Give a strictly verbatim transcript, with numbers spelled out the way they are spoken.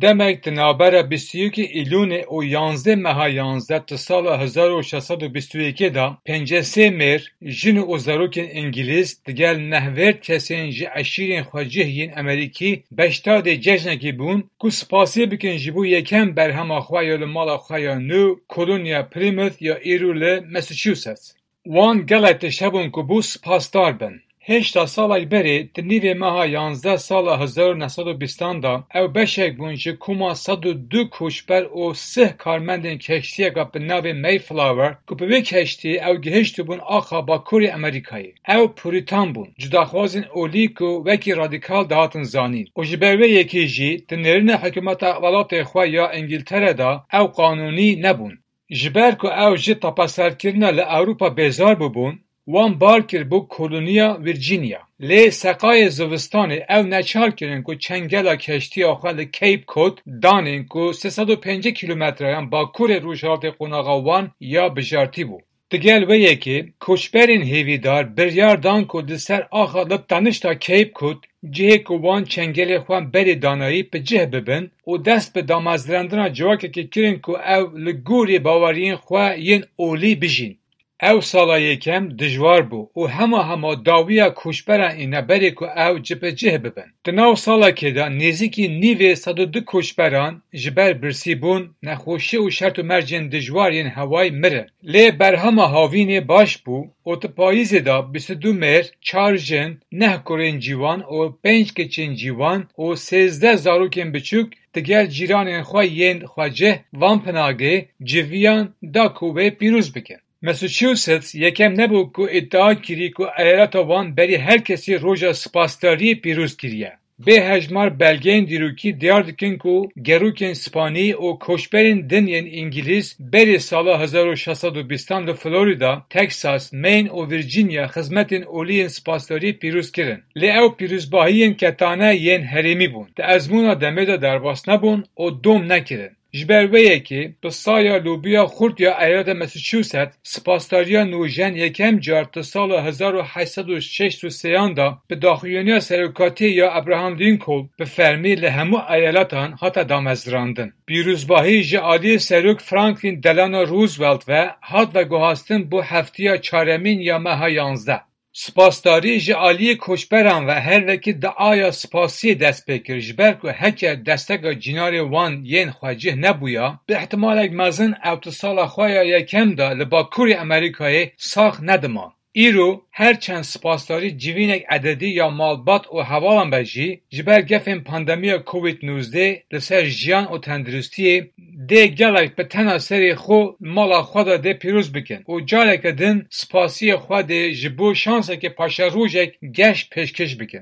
Demek di navbera bîst û yekê Îlûnê û yanzdeh meha yanzdeh di sala hezar û şeş sed û bîst û yekê de pêncî sê mêr, jin û zarokên Îngilîz digel nehvêrd kesên ji eşîrên xwecih yên Amerîkî beşdadê cejnekê bûn ku spasiyê bikin ji bo yekem berhema xwe ya li mala xwe ya nû, koloniya Plymouth ya îro li Massachusetts. Wan gelek tişt hebûn ku bû spasdar bin. Hêşta salek berê, di nîvê meha yanzdeh sala hezar û neh sed û bîstan de, ew beşek bûn ji koma sed û du koçber û sih karmendên keştiyeke bi navê Mayflower, ku bi wê keştiyê ew gihiştibûn axa Bakurê Amerîkayê. Ew Puritan bûn, cudaxwazên olî ku wekî radîkal dihatin zanîn û ji ber wê yekê jî di nêrîna hikûmeta welatê xwe ya Îngiltere de ew qanûnî nebûn. Ji ber ku ew ji tapeserkirina li Ewropa bêzar bûbûn, wan bar kir bo koloniya Virginia. Lê seqayê zivistanê ew neçar kirin ku çengela keştiya xwe li Cape Cod danên ku sê sed û pêncî kîlometreyan bakurê rojhilatê qonaxa wan ya bijartî bû. Digel wê yekê, koçberên hêvîdar biryar dan ku li ser axa li tanişta Cape Cod, cihê ku wan çengelê xwe berê danayî, bi cih bibin û dest bi damezrandina civakekê kirin ku ew li gorî baweriyên xwe yên olî bijîn. Ew sala yekem dijwar bû û hema hema dawiya koçberan îne berê ku ew cibicih bibin. Di nav salekê de nêzîkî nîvê sed û du koçberan ji ber birsîbûn, nexweşî û şert û mercên dijwar yên hewayî mirin. Lê berhema havînê baş bû û di payîzê de bîst û du mêr, çar jin, neh kurên ciwan û pênc keçên ciwan û sêzdeh zarokên biçûk digel cîranên xwe yên xwecih van pinagê civiyan da ku wê pîroz bikin. Massachusetts yekem nebû ku îdia kirî ku eyaleta wan berî her kesî roja spasdariyê pîroz kiriye. Bê hejmar belgeyên dîrokî diyar dikin ku gerokên Spanî û koçberên din yên Îngilîz berî sala hezar û şeş sed û bîstan li Florida, Texas, Maine û Virginia xizmetên olî yên spasdariyê pîroz kirin. Lê ew pîrozbahiyên ketane yên herêmî bûn. Di ezmûna demê de derbas nebûn û dom nekirin. Ji ber wê yekê bi saya lobiya xurt ya eyaleta Massachusetts, spasdariya nûjen yekem car di sala hezar û heşt sed û şêst û sêyan de bi daxuyaniya serokatiyê ya Abraham Lincoln bi fermî li hemû eyaletan hate damezrandin. Pîrozbahî ji aliyê Serok Franklin Delano Roosevelt ve hat veguhastin bo heftiya çaremîn ya meha yanzdeh. Spasdarî ji aliyê koçberan ve her wekî diaya spasiyê dest pê kir, ji ber ku heke desteka cînarê wan yên xwecih nebûya, bi ihtimalek mezin ew di sala xwe ya yekem de li Bakurê Amerîkayê sax nediman. Îro her çend spasdarî civînek ededî ya malbat û hevalan be jî, ji ber gefên pandemiya Covid nozdeh li ser jiyan û tenduristiyê dê gelek bi tena serê xwe mala xwe de dê pîroz bikin û careke din spasiyê xwe dê ji bo şansekê paşerojek geş pêşkêş bikin.